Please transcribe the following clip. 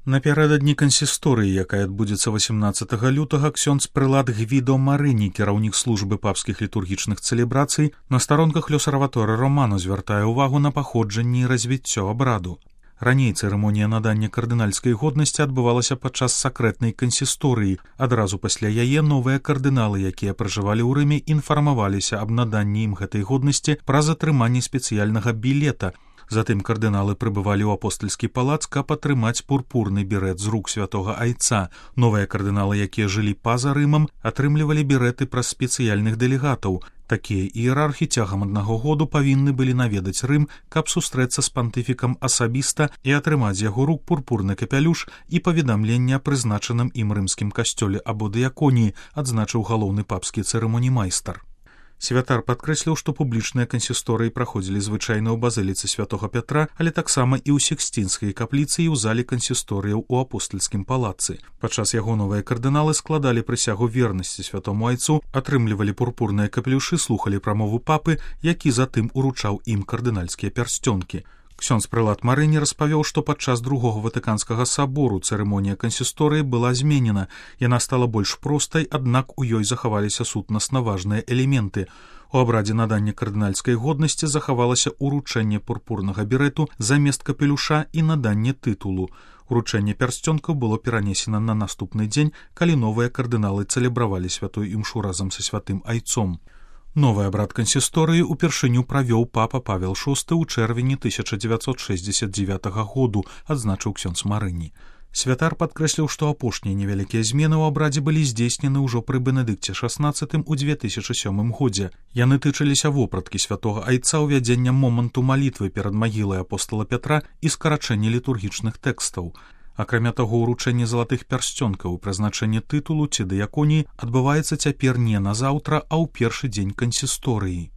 Напярэдадні кансісторыі, якая адбудзецца 18 лютага, ксёндз прылад Гвідо Марыні, кіраўнік службы папскіх літургічных цэлебрацый, на старонках Лёсарваторы Романо звяртае ўвагу на паходжанне і развіццё абраду. Раней цырымонія надання кардынальскай годнасці адбывалася падчас сакрэтнай кансісторыі. Адразу пасля яе новыя кардыналы, якія пражывалі ў Рыме, інфармаваліся аб наданні ім гэтай годнасці праз атрыманне спецыяльнага білета. Затым кардыналы прыбывалі ў апостальскі палац, каб атрымаць пурпурны берэт з рук святога айца. Новыя кардыналы, якія жылі па-за Рымам, атрымлівалі берэты праз спецыяльных дэлегатаў. Такія іерархі цягам аднаго году павінны былі наведаць Рым, каб сустрэцца з пантыфікам асабіста і атрымаць з яго рук пурпурны капялюш і паведамленне о прызначаным ім рымскім касцёле або дыяконіі, адзначыў галоўны папскі цырымоніймайстар. Святар падкрэсліў, што публічныя кансісторыі праходзілі звычайна ў базыліцы святога Пятра, але таксама і ў Сіксцінскай капліцы і ў зале кансісторыяў у апостальскім палацы. Падчас яго новыя кардыналы складалі прысягу вернасці святому айцу, атрымлівалі пурпурныя капелюшы, слухалі прамову папы, які затым уручаў ім кардынальскія пярсцёнкі. Ксёндз прылад Марыні распавёў, што падчас другога ватыканскага сабору цырымонія кансісторыі была зменена. Яна стала больш простай, аднак у ёй захаваліся сутнасна важныя элементы. У абрадзе надання кардынальскай годнасці захавалася уручэнне пурпурнага берэту замест капелюша і наданне тытулу. Уручэнне пярсцёнкаў было перанесена на наступны дзень, калі новыя кардыналы цэлебравалі святую імшу разам са святым айцом. Новы абрад кансісторыі упершыню правёў папа Павел VI ў чэрвені 1969 году, адзначыў ксёндз Марыні. Святар падкрэсліў, што апошнія невялікія змены ў абрадзе былі здзейснены ўжо пры Бенедыкце XVI у 2007 годзе. Яны тычыліся вопраткі святога айца, ўвядзення моманту малітвы перад магілай апостала Пятра і скарачэння літургічных тэкстаў. Акрамя таго, уручэнне залатых пярсцёнкаў і прызначэнне тытулу ці дыяконіі адбываецца цяпер не назаўтра, а ў першы дзень кансісторыі.